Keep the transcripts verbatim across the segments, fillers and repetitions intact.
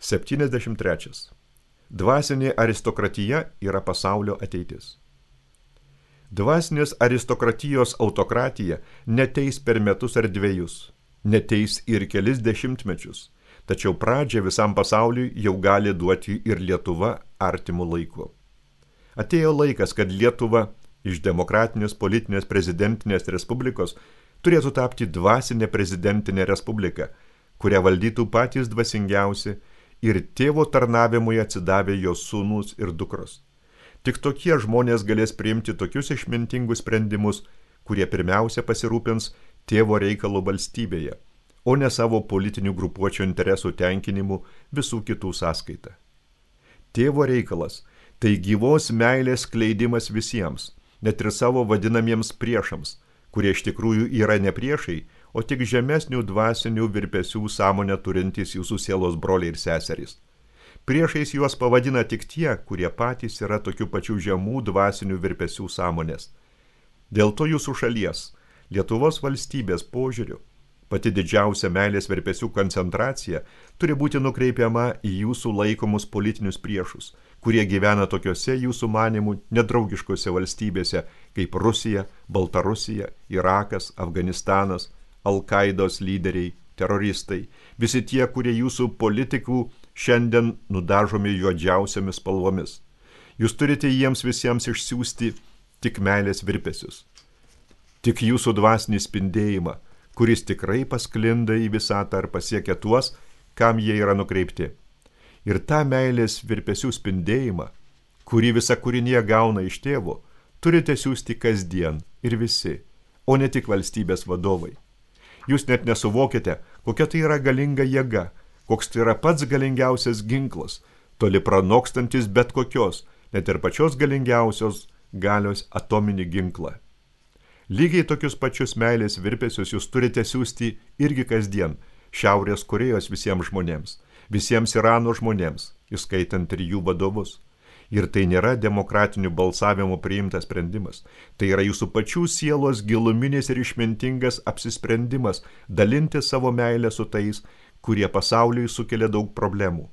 septyniasdešimt trečias. Dvasinė aristokratija yra pasaulio ateitis. Dvasinės aristokratijos autokratija neteis per metus ar dviejus, neteis ir kelis dešimtmečius, tačiau pradžią visam pasauliui jau gali duoti ir Lietuva artimų laikų. Atėjo laikas, kad Lietuva iš demokratinės politinės prezidentinės respublikos turėtų tapti dvasinė prezidentinė respublika, kurią valdytų patys dvasingiausi ir tėvo tarnavimui atsidavę jos sūnūs ir dukros. Tik tokie žmonės galės priimti tokius išmintingus sprendimus, kurie pirmiausia pasirūpins tėvo reikalų valstybėje, o ne savo politinių grupuočių interesų tenkinimu visų kitų sąskaita. Tėvo reikalas – tai gyvos meilės skleidimas visiems, net ir savo vadinamiems priešams, kurie iš tikrųjų yra ne priešai, o tik žemesnių dvasinių virpesių sąmonę turintys jūsų sielos broliai ir seserys. Priešais juos pavadina tik tie, kurie patys yra tokių pačių žemų dvasinių virpesių sąmonės. Dėl to jūsų šalies, Lietuvos valstybės požiūriu, pati didžiausia meilės virpesių koncentracija turi būti nukreipiama į jūsų laikomus politinius priešus, kurie gyvena tokiose jūsų manimų nedraugiškose valstybėse kaip Rusija, Baltarusija, Irakas, Afganistanas, Al-Qaidos lyderiai, teroristai, visi tie, kurie jūsų politikų šiandien nudažomi juodžiausiamis spalvomis. Jūs turite jiems visiems išsiųsti tik meilės virpesius, tik jūsų dvasinį spindėjimą, kuris tikrai pasklinda į visatą ar pasiekia tuos, kam jie yra nukreipti. Ir tą meilės virpesių spindėjimą, kurį visa kūrinė gauna iš tėvo, turite siųsti kasdien ir visi, o ne tik valstybės vadovai. Jūs net nesuvokite, kokia tai yra galinga jėga, koks tai yra pats galingiausias ginklas, toli pranokstantis bet kokios, net ir pačios galingiausios galios atominį ginklą. Lygiai tokius pačius meilės virpesius jūs turite siųsti irgi kasdien Šiaurės Korėjos visiems žmonėms, visiems Irano žmonėms, įskaitant ir jų vadovus. Ir tai nėra demokratinių balsavimų priimtas sprendimas. Tai yra jūsų pačių sielos giluminis ir išmintingas apsisprendimas dalinti savo meilę su tais, kurie pasauliui sukelia daug problemų.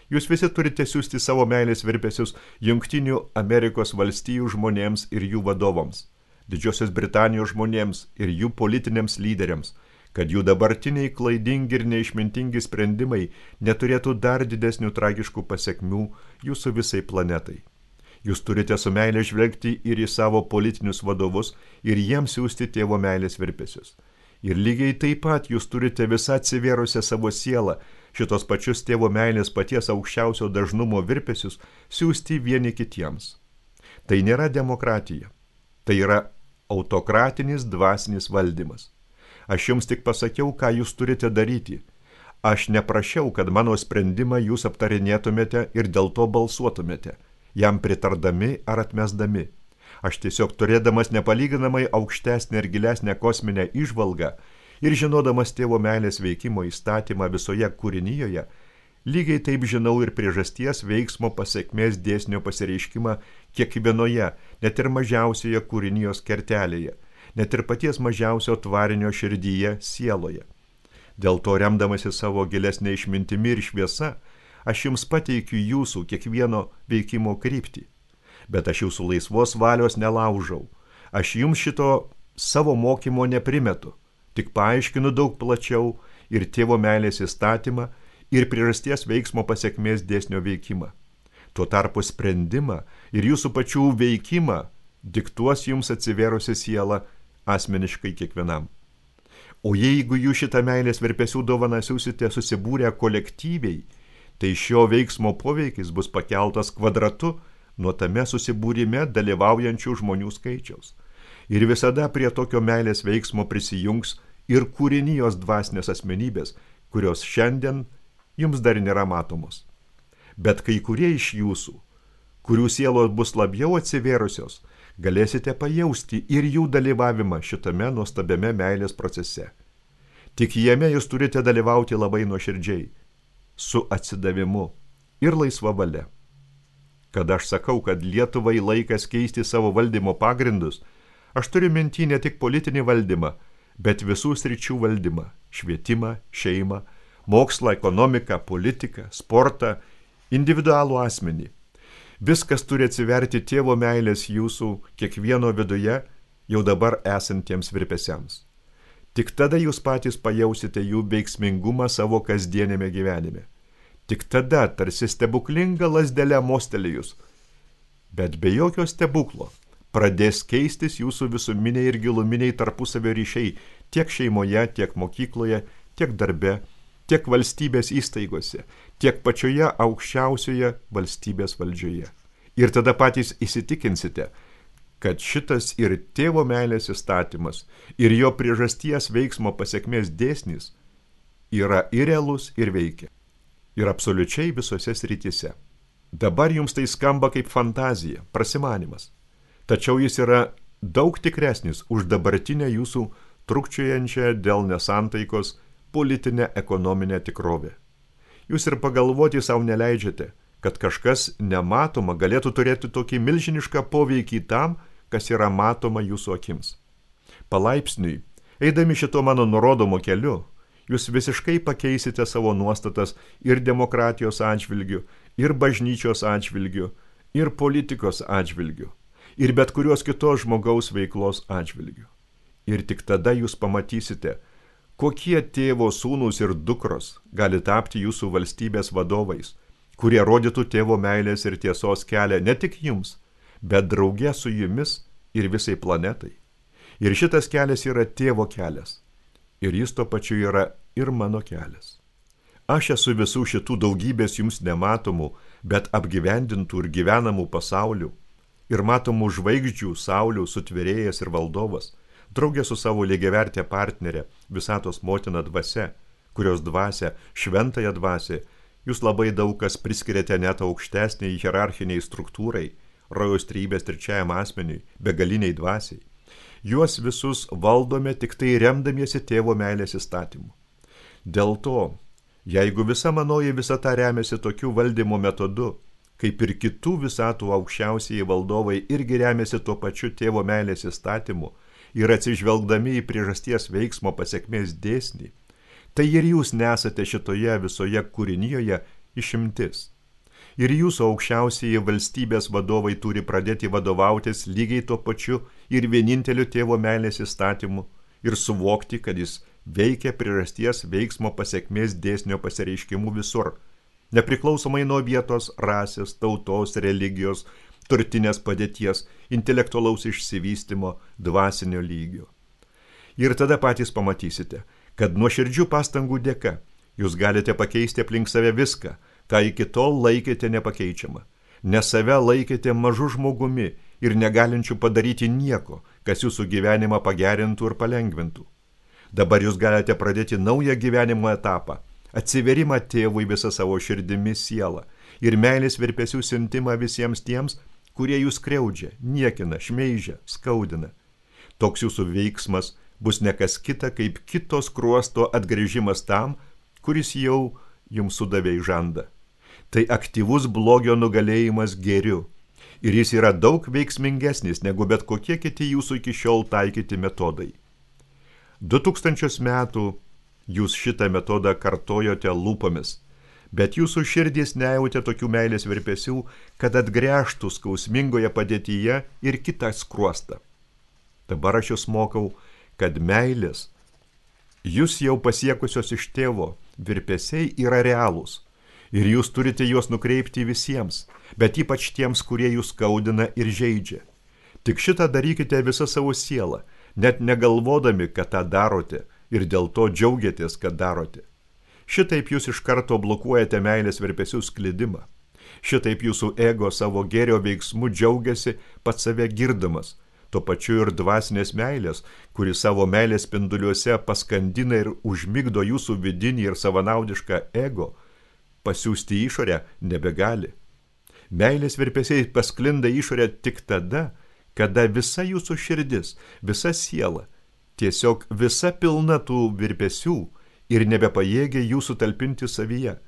Jūs visi turite siųsti savo meilės virpesius Jungtinių Amerikos valstijų žmonėms ir jų vadovams, Didžiosios Britanijos žmonėms ir jų politiniams lyderiams, kad jų dabartiniai klaidingi ir neišmintingi sprendimai neturėtų dar didesnių tragiškų pasekmių jūsų visai planetai. Jūs turite su meilė žvelgti ir į savo politinius vadovus ir jiems siųsti tėvo meilės virpesius. Ir lygiai taip pat jūs turite visą atsivėrusią savo sielą, šitos pačius tėvo meilės paties aukščiausio dažnumo virpesius siųsti vieni kitiems. Tai nėra demokratija, tai yra autokratinis dvasinis valdymas. Aš jums tik pasakiau, ką jūs turite daryti. Aš neprašiau, kad mano sprendimą jūs aptarinėtumėte ir dėl to balsuotumėte, jam pritardami ar atmesdami. Aš tiesiog turėdamas nepalyginamai aukštesnę ir gilesnę kosminę įžvalgą ir žinodamas tėvo meilės veikimo įstatymą visoje kūrinijoje, lygiai taip žinau ir priežasties veiksmo pasekmės dėsnio pasireiškimą kiekvienoje, net ir mažiausioje kūrinijos kertelėje, net ir paties mažiausio tvarinio širdyje sieloje. Dėl to remdamasi savo gilesnė išmintimi ir šviesa, aš jums pateikiu jūsų kiekvieno veikimo kryptį. Bet aš jūsų laisvos valios nelaužau. Aš jums šito savo mokymo neprimetu, tik paaiškinu daug plačiau ir tėvo meilės įstatymą ir priežasties veiksmo pasekmės dėsnio veikimą. Tuo tarpu sprendimą ir jūsų pačių veikimą diktuos jums atsivėrusi siela asmeniškai kiekvienam. O jeigu jūs šitą meilės virpesių dovaną siūsite susibūrę kolektyviai, tai šio veiksmo poveikis bus pakeltas kvadratu nuo tame susibūrime dalyvaujančių žmonių skaičiaus. Ir visada prie tokio meilės veiksmo prisijungs ir kūrinijos dvasinės asmenybės, kurios šiandien jums dar nėra matomos. Bet kai kurie iš jūsų, kurių sielos bus labiau atsivėrusios, galėsite pajausti ir jų dalyvavimą šitame nuostabiame meilės procese. Tik jame jūs turite dalyvauti labai nuoširdžiai, su atsidavimu ir laisva valia. Kad aš sakau, kad Lietuvai laikas keisti savo valdymo pagrindus, aš turiu minty ne tik politinį valdymą, bet visų sričių valdymą – švietimą, šeimą, mokslą, ekonomiką, politiką, sportą, individualų asmenį. Viskas turi atsiverti tėvo meilės jūsų kiekvieno viduje, jau dabar esantiems virpesiams. Tik tada jūs patys pajausite jų veiksmingumą savo kasdienėme gyvenime. Tik tada, tarsi stebuklinga lasdelė mostelėjus, bet be jokio stebuklo, pradės keistis jūsų visuminiai ir giluminiai tarpusavio ryšiai tiek šeimoje, tiek mokykloje, tiek darbe, tiek valstybės įstaigose, tiek pačioje aukščiausioje valstybės valdžioje. Ir tada patys įsitikinsite, kad šitas ir tėvo meilės įstatymas, ir jo priežasties veiksmo pasekmės dėsnis yra ir realus, ir veikia. Ir absoliučiai visose srityse. Dabar jums tai skamba kaip fantazija, prasimanimas. Tačiau jis yra daug tikresnis už dabartinę jūsų trukčiojančią dėl nesantaikos politinę ekonominę tikrovę. Jūs ir pagalvoti savo neleidžiate, kad kažkas nematoma galėtų turėti tokį milžinišką poveikį tam, kas yra matoma jūsų akims. Palaipsniui, eidami šito mano nurodomo keliu, jūs visiškai pakeisite savo nuostatas ir demokratijos atžvilgių, ir bažnyčios atžvilgių, ir politikos atžvilgių, ir bet kurios kitos žmogaus veiklos atžvilgių. Ir tik tada jūs pamatysite, kokie tėvo sūnūs ir dukros gali tapti jūsų valstybės vadovais, kurie rodytų tėvo meilės ir tiesos kelią ne tik jums, bet drauge su jumis ir visai planetai. Ir šitas kelias yra tėvo kelias. Ir jis to pačiu yra ir mano kelias. Aš esu visų šitų daugybės jums nematomų, bet apgyvendintų ir gyvenamų pasaulių, ir matomų žvaigždžių, saulių, sutvėrėjas ir valdovas, draugė su savo lygiavertė partnerė, visatos motina dvasia, kurios dvasia, šventąją dvasią, jūs labai daug kas priskiriate net aukštesniai hierarchiniai struktūrai, rojaus trejybės trečiajam asmeniui, begaliniai dvasiai. Juos visus valdome tik tai remdamiesi tėvo meilės įstatymu. Dėl to, jeigu visa manoji visata remiasi tokiu valdymo metodu, kaip ir kitų visatų aukščiausieji valdovai irgi remiasi tuo pačiu tėvo meilės įstatymu ir atsižvelgdami į priežasties veiksmo pasekmės dėsnį, tai ir jūs nesate šitoje visoje kūrinijoje išimtis. Ir jūsų aukščiausieji valstybės vadovai turi pradėti vadovautis lygiai tuo pačiu ir vieninteliu tėvo meilės įstatymu ir suvokti, kad jis veikia priežasties veiksmo pasekmės dėsnio pasireiškimų visur, nepriklausomai nuo vietos, rasės, tautos, religijos, turtinės padėties, intelektualaus išsivystymo, dvasinio lygio. Ir tada patys pamatysite, kad nuoširdžių pastangų dėka jūs galite pakeisti aplink save viską, ką iki tol laikėte nepakeičiamą, nes save laikėte mažu žmogumi ir negalinčių padaryti nieko, kas jūsų gyvenimą pagerintų ir palengvintų. Dabar jūs galite pradėti naują gyvenimo etapą, atsiverimą tėvui visą savo širdimi sielą ir meilės virpesių siuntimą visiems tiems, kurie jūs skriaudžia, niekina, šmeižia, skaudina. Toks jūsų veiksmas bus nekas kita, kaip kito skruosto atgrįžimas tam, kuris jau jums sudavė į žandą. Tai aktyvus blogio nugalėjimas gėriu, ir jis yra daug veiksmingesnis negu bet kokie kiti jūsų iki šiol taikyti metodai. Du tūkstančius metų jūs šitą metodą kartojote lūpomis, bet jūsų širdys nejautė tokių meilės virpesių, kad atgręžtų skausmingoje padėtyje ir kitą skruostą. Dabar aš jūs mokau, kad meilės, jūs jau pasiekusios iš tėvo, virpesiai yra realūs. Ir jūs turite juos nukreipti visiems, bet ypač tiems, kurie jūs skaudina ir žeidžia. Tik šitą darykite visą savo sielą, net negalvodami, kad tą darote, ir dėl to džiaugiatės, kad darote. Šitaip jūs iš karto blokuojate meilės virpesių sklidimą. Šitaip jūsų ego savo gėrio veiksmu džiaugiasi pats save girdamas, tuo pačiu ir dvasinės meilės, kuri savo meilės spinduliuose paskandina ir užmigdo jūsų vidinį ir savanaudišką ego, pasiųsti išorę nebegali. Meilės virpesiai pasklinda išorę tik tada, kada visa jūsų širdis, visa siela, tiesiog visa pilna tų virpesių ir nebepajėgia jūsų talpinti savyje.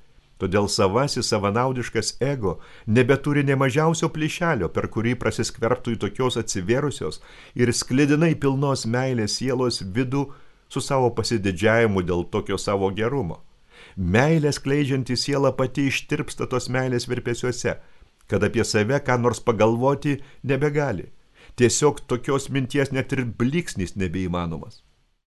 Todėl savasis savanaudiškas ego nebeturi nė mažiausio plyšelio, per kurį prasiskverbtų į tokios atsivėrusios ir sklidinai pilnos meilės sielos vidų su savo pasididžiavimu dėl tokio savo gerumo. Meilę skleidžianti siela pati ištirpsta tos meilės virpesiuose, kad apie save ką nors pagalvoti nebegali. Tiesiog tokios minties net ir blyksnis nebeįmanomas.